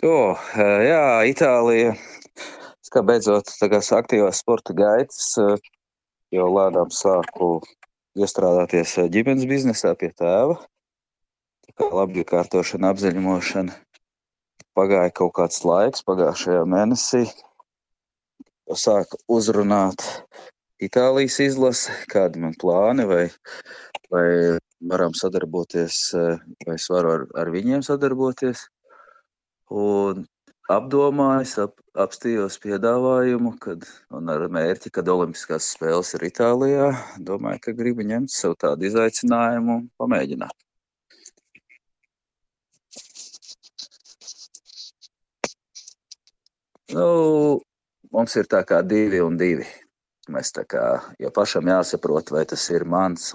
Jā, Itālija. Es kā beidzot tagad aktīvās sporta gaitas, jo lēnām sāku iestrādāties ģimenes biznesā pie tēva. Tā kā labi kārtošana, apzaļumošana. Pagāja kaut kāds laiks, pagājušajā mēnesī sāku uzrunāt Itālijas izlasi, kādi man plāni, vai varam sadarboties, vai es varu ar viņiem sadarboties. Un apdomājis, apstījos piedāvājumu, un ar mērķi, kad Olimpiskās spēles ir Itālijā, domāju, ka gribu ņemt sev tādu izaicinājumu un pamēģināt. Mums ir tā kā 2-2. Mēs tā kā, jo pašam jāsaprot, vai tas ir mans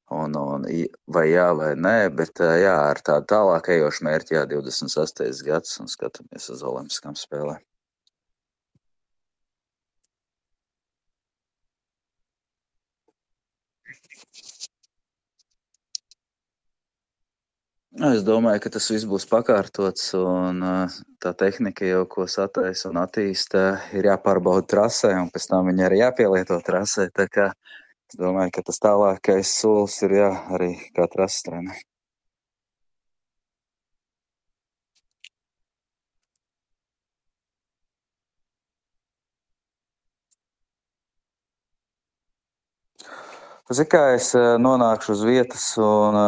vai jā vai nē, bet jā, ar tādu tālāk ejošu mērķi, 28. gads un skatāmies uz Olimpiskām spēlēm. Es domāju, ka tas viss būs pakārtots, un tā tehnika jau, ko sataisa un attīsta, ir jāpārbauda trasē, un pēc tam viņa arī jāpielieto trasē. Tā kā es domāju, ka tas tālākais solis ir arī kā trases treneris. Zini, kā es nonākšu uz vietas un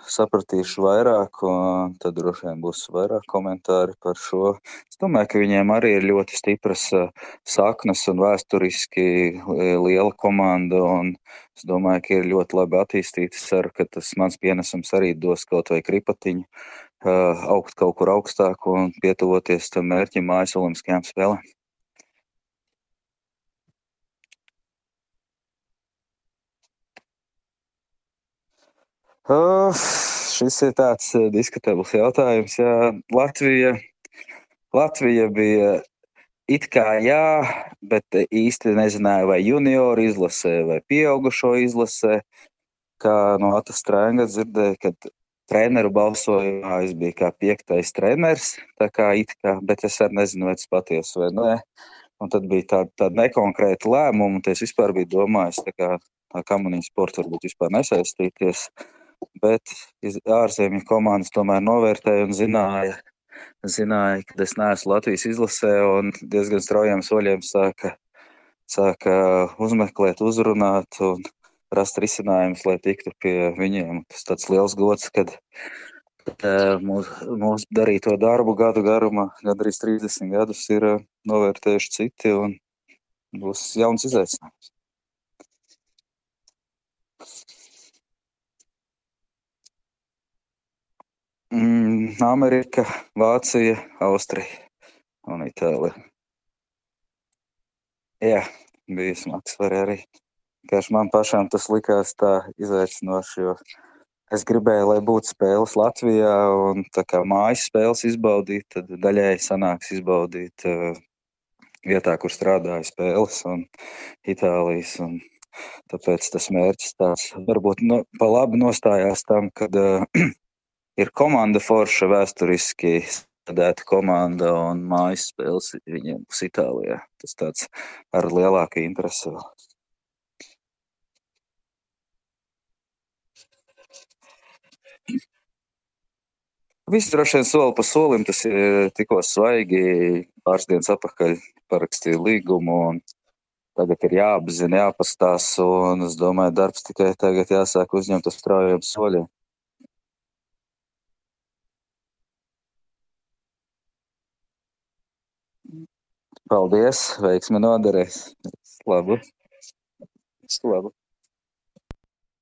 sapratīšu vairāk, un tad droši vien būs vairāk komentāri par šo. Es domāju, ka viņiem arī ir ļoti stipras saknes un vēsturiski liela komanda, un es domāju, ka ir ļoti labi attīstīti. Ceru, ka tas mans pienesums arī dos kaut vai kripatiņu, augt kaut kur augstāk un pietuvoties tam mērķim mājas Olimpiskajām spēlēm. Šis ir tāds diskutabls jautājums. Jā, Latvija bija it kā jā, bet īsti nezināja, vai junioru izlasē vai pieaugušo izlasē. Kā no Atas Strēnga dzirdēja, kad treneru balsojumā es biju kā 5. treneris, tā kā it kā, bet es arī nezinu, vai tas patiesi vai nē. Un tad bija tāda nekonkrēta lēmuma, un es vispār biju domājis, tā kamunīņu sporta varbūt vispār nesaistīties. Bet ārzemju komandas tomēr novērtēja un zināja, ka es neesmu Latvijas izlasē, un diezgan straujiem soļiem sāka uzmeklēt, uzrunāt un rast risinājumus, lai tiktu pie viņiem. Tas tāds liels gods, kad mūsu darīto darbu gadu garumā, gandrīz 30 gadus, ir novērtējuši citi, un būs jauns izaicinājums. Amerika, Vācija, Austrija un Itālija. Jā, bija smagsvari arī. Vienkārši man pašam tas likās tā izaicinoši, jo es gribēju, lai būtu spēles Latvijā, un tā kā mājas spēles izbaudīt, tad daļēji sanāks izbaudīt vietā, kur strādāju spēles un Itālijas. Un tāpēc tas mērķis tāds varbūt pa labi nostājās tam, kad ir komanda forša vēsturiski sadēta komanda un mājas spēles viņiem būs Itālijā. Tas tāds ar lielāku interesi vēl. Viss droši vien soli pa solim, tas ir tikko svaigi. Pāris dienas atpakaļ parakstīju līgumu, un tagad ir jāapzina, jāpastās, un es domāju, darbs tikai tagad jāsāk uzņemt uz straujiem soļiem. Paldies, veiksmi noderēs. Labu. Labu.